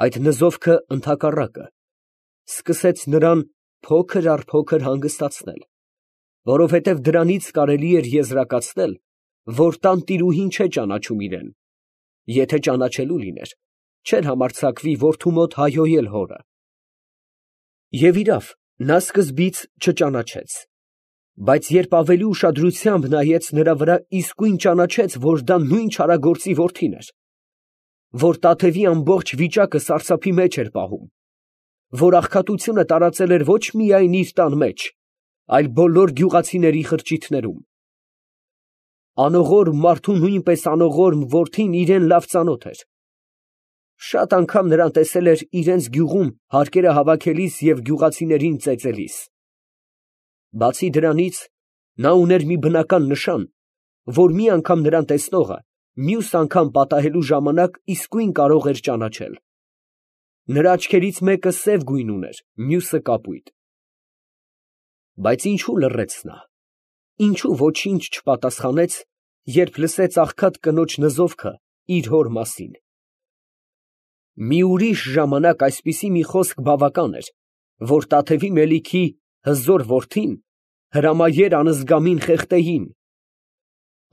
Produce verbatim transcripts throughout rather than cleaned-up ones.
Այդ նզովքը ընդհակառակը, սկսեց նրան փոքր առ փոքր հանգստացնել, որովհետև դրանից կարելի էր եզրակացնել, որ տանտիրուհին չէ ճանաչում իրան, եթե ճանաչելու լիներ, չէր համարձակվի որդու մոտ հայհոյել հորը։ Եվ իրավ, նա սկզբից չճանաչեց, բայց երբ ավելի ուշադրությամբ նայեց նրա վրա, իսկույն ճանաչեց, որ դա նույն չարագործի որդին էր, որ Տաթևի ամբողջ վիճակը սարսափի մեջ էր պահում, որ աղքատությունը տարածել էր ոչ միայն իր տան մեջ, այլ բոլոր գյուղացիների խրճիթներում։ Անողորմ մարդու նույնպես անողորմ որդին իրան լավ ծանոթ էր. շատ անգամ նրան տեսել էր իրենց գյուղում հարկերը հավաքելիս և գյուղացիներին ծեծելիս։ Բացի դրանից, նա ուներ մի բնական նշան, որ մի անգամ նրան տեսնողը մյուս անգամ պատահելու ժամանակ իսկույն կարող էր ճանաչել։ Նրա աչքերից մեկը սև գույն ուներ, մյուսը կապույտ։ Բայց ինչու լռեց նա, ինչու ոչինչ չպատասխանեց, երբ լսեց աղքատ կնոջ նզովքը իր հոր մասին։ Մի ուրիշ ժամանակ այսպիսի մի խոսք բավական էր, որ Տաթևի Մելիքի հզոր որդին հրամայեր անզգամին խեղդեին։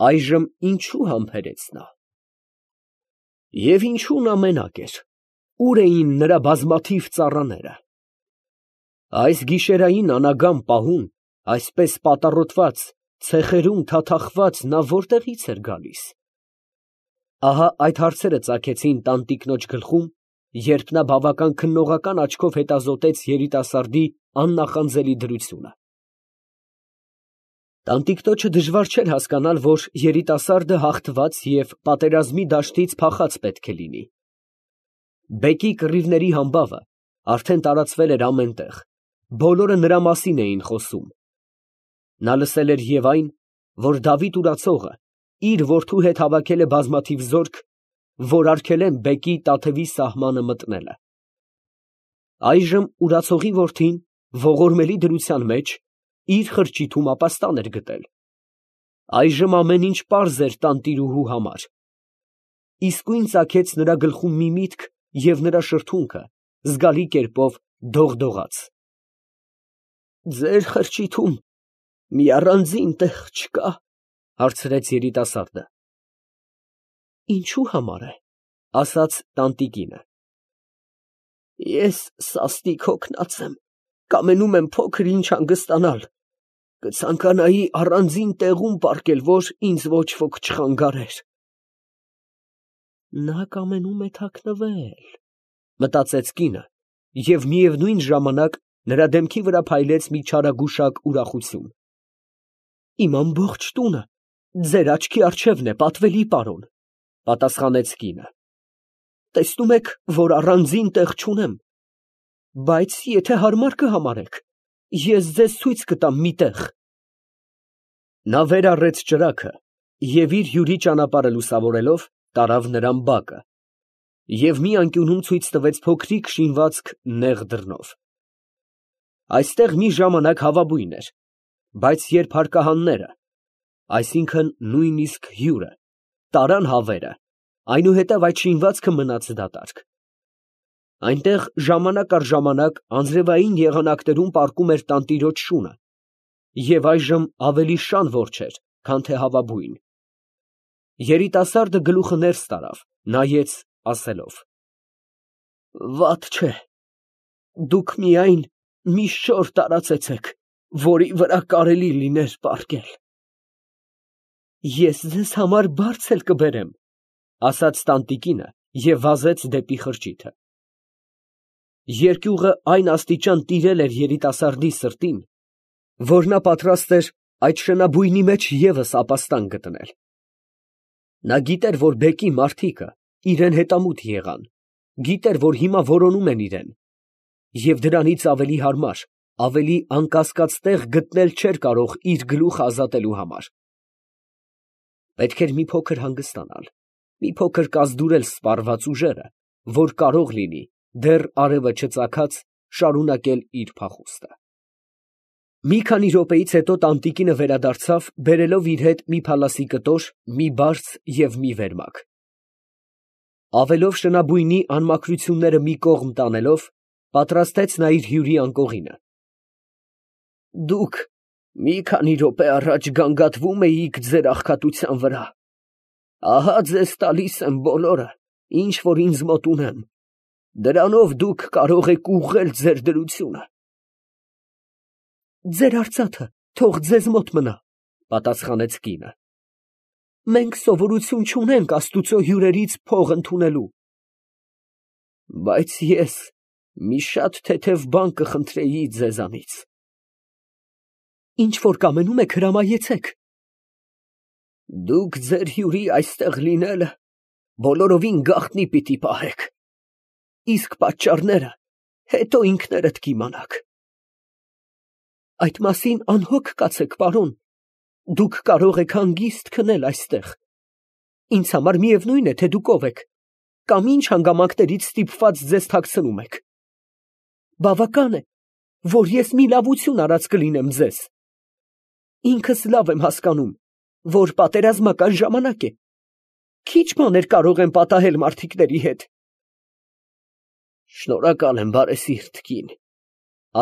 Այժմ ինչու համբերեց նա։ Եվ ինչու նա մենակ էր, ուր էին նրա բազմաթիվ ծառաները։ Այս գիշերային անագամ պահուն, այսպես պատառոտված, ցեխերում թաթախված, նա որտեղից էր գալիս։ Ահա այդ հարցերը ծագեցին տանտիկնոջ գլխում, երբ նա բավական քննողական աչքով հետազոտեց երիտասարդի աննախանձելի դրությունը։ Տանտիկնոջը դժվար չէր հասկանալ, որ երիտասարդը հաղթված և պատերազմի դաշտից փախած պետք է լինի։ Բեկի կռիվների համբավը արդեն տարածվել էր ամեն տեղ, բոլորը նրա մասին էին խոսում։ Նա լսել էր և այն, որ Դավիթ Ուրացողը իր որդու հետ հավաքել է բազմաթիվ զորք, որ արգելեն բեկի Տաթևի սահմանը մտնելը։ Այժմ Ուրացողի որդին ողորմելի դրության մեջ իր խրճիթում ապաստան էր գտել։ Այժմ ամեն ինչ պարզ էր տանտիրուհու համար։ Իսկույն ծագեց նրա գլխում մի միտք և նրա շրթունքը զգալի կերպով դողդողաց։ «Ձեր խրճիթում մի առանձին տեղ չկա՞, ֊ հարցրեց երիտասարդը։ ֊ Ինչու համար է, ֊ ասաց տանտիկինը։ ֊ Ես սաստիկ հոգնած եմ, կամենում եմ փոքր ինչ հանգստանալ, կցանկանայի առանձին տեղում պառկել, որ ինձ ոչ ոք չխանգարեր։ Նա կամենում է թաքնվել, ֊ մտածեց կինը, և միևնույն ժամանակ նրա դեմքի վրա փայլեց մի չարագուշակ ուրախություն։ ֊ Իմ ամբողջ տունը ձեր աչքի առջևն է, պատվելի պարոն, ֊ պատասխանեց կինը։ ֊ Տեսնում եք, որ առանձին տեղ չունեմ, բայց եթե հարմար կհամարեք, ես ձեզ ցույց կտամ մի տեղ։ Նա վեր առեց ճրագը և իր հյուրի ճանապարհը լուսավորելով, տարավ նրան բակը և մի անկյունում ցույց տվեց փոքրիկ շինվածք նեղ դռնով։ Այստեղ մի ժամանակ հավաբույն էր, բայց երբ հարկահանները, այսինքն նույնիսկ հյուրը, տարան հավերը, այնուհետև այդ շինվածքը մնաց դատարկ։ Այնտեղ ժամանակ առ ժամանակ անձրևային եղանակներում պառկում էր տանտիրոջ շունը, և այժմ ավելի շան որջեր, քան թե հավաբույն։ Երիտասարդը գլուխը ներս տարավ, նայեց, ասելով. «Վատ չէ, դուք միայն մի շոր տարածեցեք, որի վրա կարելի լիներ պառկել»։ Ես ձեզ համար բարձ էլ կբերեմ, ֊ ասաց տանտիկինը և վազեց դեպի խրճիթը։ Երկյուղը այն աստիճան տիրել էր երիտասարդի սրտին, որ նա պատրաստ էր այդ շնաբույնի մեջ ևս ապաստան գտնել։ Նա գիտեր, որ բեկի մարդիկը իրան հետամուտ եղան, գիտեր, որ հիմա որոնում են իրան, և դրանից ավելի հարմար, ավելի անկասկած տեղ գտնել չէր կարող իր գլուխը ազատելու համար։ Պետք էր մի փոքր հանգստանալ, մի փոքր կազդուրել սպառված ուժերը, որ կարող լինի, դեռ արևը չծագած, շարունակել իր փախուստը։ Մի քանի րոպեից հետո տանտիկինը վերադարձավ, բերելով իր հետ մի փալասի կտոր, մի բարձ և մի վերմակ։ Ավելով շնաբույնի անմաքրությունները մի կողմ տանելով, պատրաստեց նա իր հյուրի անկողինը։ Դուք մի քանի րոպե առաջ գանգատվում էիք ձեր աղքատության վրա. ահա ձեզ տալիս եմ բոլորը, ինչ որ ինձ մոտ ունեմ, դրանով դուք կարող եք ուղղել ձեր դրությունը։ Ձեր արծաթը թող ձեզ մոտ մնա, պատասխանեց կինը։ Մենք սովորություն չունենք Աստուծո հյուրերից փող ընդունելու։ Բայց ես մի շատ թեթև բան կխնդրեի ձեզանից։ Ինչ որ կամենում եք, հրամայեցեք։ Դուք ձեր հյուրի այստեղ լինելը բոլորովին գաղտնի պիտի պահեք, իսկ պատճառները հետո ինքներդ կիմանաք։ Այդ մասին անհոգ կացեք, պարոն, դուք կարող եք հանգիստ քնել այստեղ։ Ինձ համար միևնույն է, թե դուք ով եք, կամ ինչ հանգամանքներից ստիպված ձեզ թաքցնում եք։ Բավական է, որ ես մի լավություն արած կլինեմ ձեզ։ Ինքս լավ եմ հասկանում, որ պատերազմական ժամանակ է։ Քիչ բաներ կարող եմ պատահել մարդիկների հետ։ Շնորհակալ եմ, բարեսիրտ կին,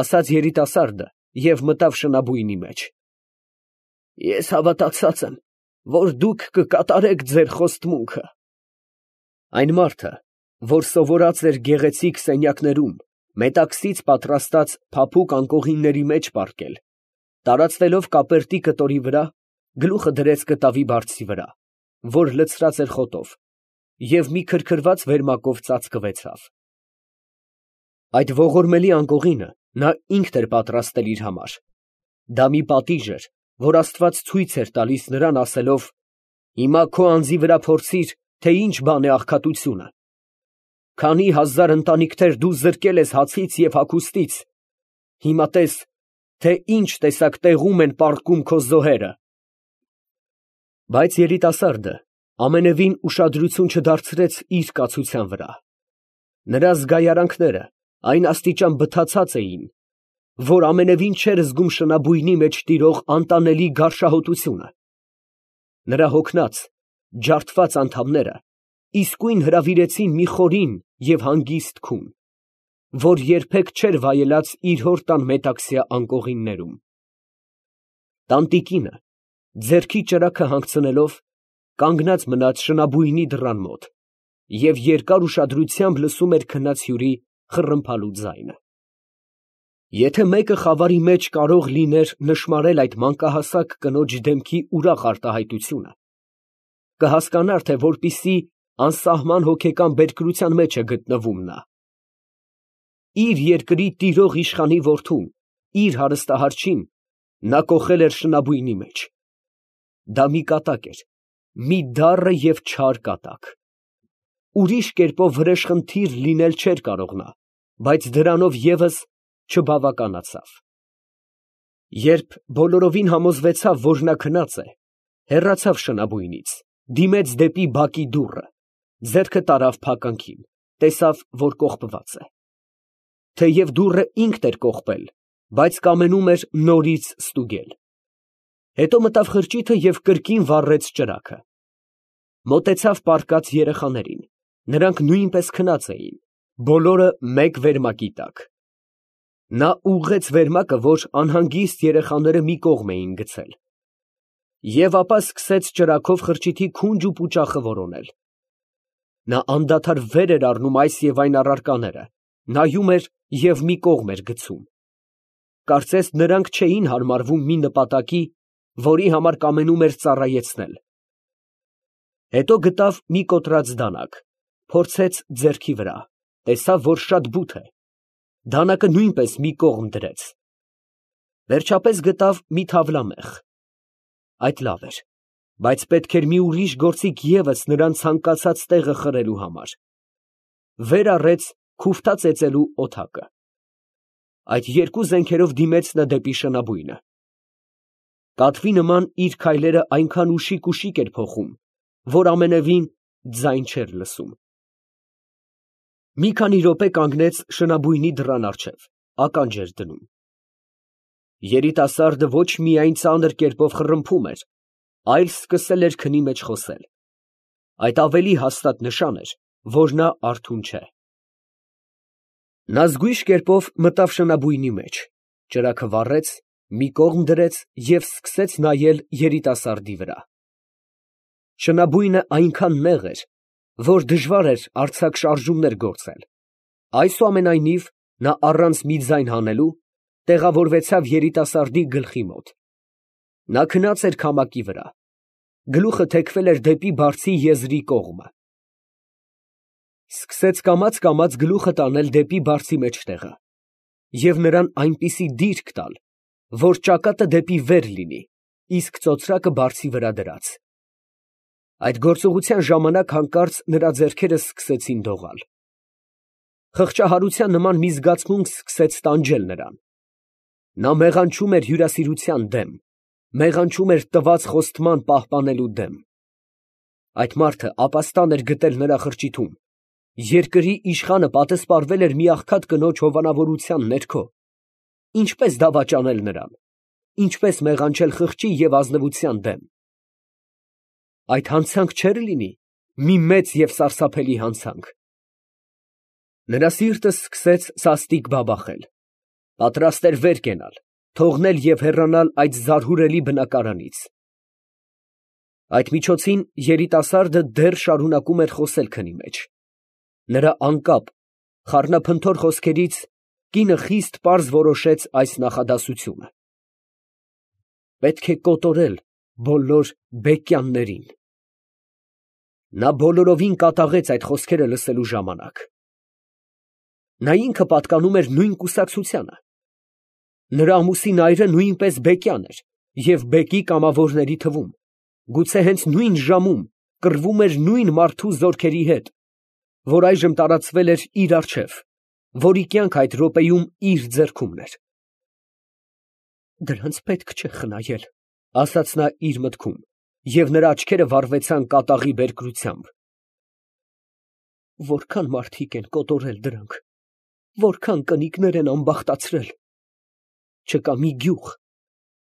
ասաց երիտասարդը և մտավ շնաբույնի մեջ։ Ես հավատացած եմ, որ դուք կկատարեք ձեր խոստմունքը։ Այն մարդը, որ սովորած էր գեղեցիկ սենյակներում մետաքսից պատրաստած փափուկ անկողինների մեջ պառկել, տարածվելով կապերտի կտորի վրա, գլուխը դրեց կտավի բարձի վրա, որ լցրած էր խոտով, և մի քրքրված վերմակով ծածկվեցավ։ Այդ ողորմելի անկողինը նա ինքն էր պատրաստել իր համար։ Դա մի պատիժ էր, որ Աստված ցույց էր տալիս նրան, ասելով. «Հիմա քո անձի վրա փորձիր, թե ինչ բան է աղքատությունը։ Քանի հազար ընտանիքներ դու զրկել ես հացից և հագուստից, հիմա տես, թե ինչ տեսակ տեղում են պառկում քո զոհերը»։ Բայց երիտասարդը ամենևին ուշադրություն չդարձրեց իր կացության վրա։ Նրա զգայարանքները այն աստիճան բթացած էին, որ ամենևին չէր զգում շնաբույնի մեջ տիրող անտանելի գարշահոտությունը։ Նրա հոգնած, ջարդված անդամները իսկույն հրավիրեցին մի խորին և հանգիստ քուն, որ երբեք չէր վայելած իր հոր տան մետաքսյա անկողիններում։ Տանտիկինը, ձեռքի ճրագը հանգցնելով, կանգնած մնաց շնաբույնի դռան մոտ և երկար ուշադրությամբ լսում էր քնած հյուրի խռմփալու ձայնը։ Եթե մեկը խավարի մեջ կարող լիներ նշմարել այդ մանկահասակ կնոջ դեմքի ուրախ արտահայտությունը, կհասկանար, թե որպիսի անսահման հոգեկան բերկրության մեջ է գտնվում նա։ Իր երկրի տիրող իշխանի որդուն, իր հարստահարչին, նա կոխել էր շնաբույնի մեջ։ Դա մի կատակ էր, մի դառը և չար կատակ։ Ուրիշ կերպով վրեժխնդիր լինել չէր կարող նա, բայց դրանով ևս չբավականացավ։ Երբ բոլորովին համոզվեցավ, որ նա քնած է, հեռացավ շնաբույնից, դիմեց դեպի բակի դուռը, ձեռքը տարավ փականքին, տեսավ, որ կողպված է։ Թեև դուռը ինքն էր կողպել, բայց կամենում էր նորից ստուգել։ Հետո մտավ խրճիթը և կրկին վառեց ճրագը։ Մոտեցավ պառկած երեխաներին, նրանք նույնպես քնած էին, բոլորը մեկ վերմակի տակ։ Նա ուղղեց վերմակը, որ անհանգիստ երեխաները մի կողմ էին գցել, և ապա սկսեց ճրագով խրճիթի քունջ ու պուճախը որոնել։ Նա անդադար վեր էր առնում այս և այն առարկաները, նայում էր և մի կողմ էր գցում։ Կարծես նրանք չէին հարմարվում մի նպատակի, որի համար կամենում էր ծառայեցնել։ Հետո գտավ մի կոտրած դանակ, փորձեց ձեռքի վրա, տեսավ, որ շատ բութ է, դանակը նույնպես մի կողմ դրեց։ Վերջապես գտավ մի թավլամեխ։ Այդ լավ էր, բայց պետք էր մի ուրիշ գործիք ևս նրան ցանկացած տեղը խրելու համար։ Վեր առեց քուֆթա ծեծելու օդակը։ Այդ երկու զենքերով դիմեց նա դեպի շնաբույնը։ Կատվի նման իր քայլերը այնքան ուշիկ֊ուշիկ էր փոխում, որ ամենևին ձայն չէր լսում։ Մի քանի րոպե կանգնեց շնաբույնի դռան առջև, ականջ էր դնում։ Երիտասարդը ոչ միայն ծանր կերպով խռմփում էր, այլ սկսել էր քնի մեջ խոսել։ Այդ ավելի հաստատ նշան էր, որ նա արթուն չէ։ Նա զգույշ կերպով մտավ շնաբույնի մեջ, ճրագը վառեց, մի կողմ դրեց և սկսեց նայել երիտասարդի վրա։ Շնաբույնը այնքան նեղ էր, որ դժվար էր արձակ շարժումներ գործել, այսուամենայնիվ նա առանց մի ձայն հանելու տեղավորվեցավ երիտասարդի գլխի մոտ. նա քնած էր քամակի վրա, գլուխը թեքվել էր դեպի բարձի եզրի կողմը, սկսեց կամաց֊կամաց գլուխը տանել դեպի բարձի մեջտեղը և նրան այնպիսի դիրք տալ, որ ճակատը դեպի վեր լինի, իսկ ծոծրակը բարձի վրա դրած։ Այդ գործողության ժամանակ հանկարծ նրա ձեռքերը սկսեցին դողալ։ Խղճահարության նման մի զգացմունք սկսեց տանջել նրան։ Նա մեղանչում էր հյուրասիրության դեմ, մեղանչում էր տված խոստման պահպանելու դեմ։ Այդ մարդը ապաստան էր գտել նրա խրճիթում, երկրի իշխանը պատսպարվել էր մի աղքատ կնոջ հովանավորության ներքո, ինչպե՞ս դավաճանել նրան, ինչպե՞ս մեղանչել խղճի և ազնվության դեմ։ Այդ հանցանք չէ՞ր լինի մի մեծ և սարսափելի հանցանք։ Նրա սիրտը սկսեց սաստիկ բաբախել, պատրաստ էր վեր կենալ, թողնել և հեռանալ այդ զարհուրելի բնակարանից։ Այդ միջոցին երիտասարդը դեռ շարունակում էր խոսել քնի մեջ. նրա անկապ, խառնափնթոր խոսքերից կինը խիստ պարզ որոշեց այս նախադասությունը. «Պետք է կոտորել բոլոր բեկյաններին»։ Նա բոլորովին կատաղեց այդ խոսքերը լսելու ժամանակ։ Նա ինքը պատկանում էր նույն կուսակցությանը։ Նրա ամուսին այրը նույնպես բեկյան էր և բեկի կամավորների թվում, գուցե հենց նույն ժամում կռվում էր նույն մարդու զորքերի հետ, որ այժմ տարածվել էր իր առջև, որի կյանքը այդ րոպեում իր ձեռքումն էր։ «Դրանց պետք չէ խնայել», ֊ ասաց նա իր մտքում, և նրա աչքերը վառվեցան կատաղի բերկրությամբ։ «Որքան մարդիկ են կոտորել դրանք, որքան կնիկներ են ամբախտացրել։ Չկա մի գյուղ,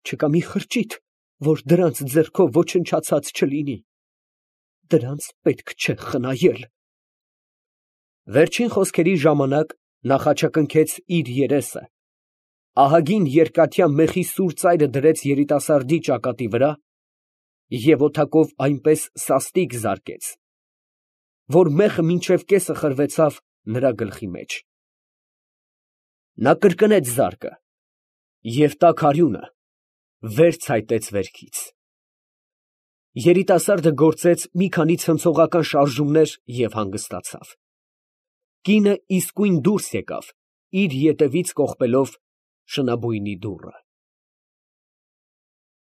չկա մի խրճիթ, որ դրանց ձեռքով ոչնչացած չլինի։ Դրանց պետք չէ խնայել»։ Վերջին խոսքերի ժամանակ նա խաչակնքեց իր երեսը, ահագին երկաթյա մեխի սուր ծայրը դրեց երիտասարդի ճակատի վրա և օդակով այնպես սաստիկ զարկեց, որ մեխը մինչև կեսը խրվեցավ նրա գլխի մեջ։ Նա կրկնեց զարկը և տաք արյունը վեր ցայտեց վերքից։ Երիտասարդը գործեց մի քանի ցնցողական շարժումներ և հանգստացավ։ Կինը իսկույն դուրս եկավ, իր ետևից կողպելով շնաբույնի դուռը։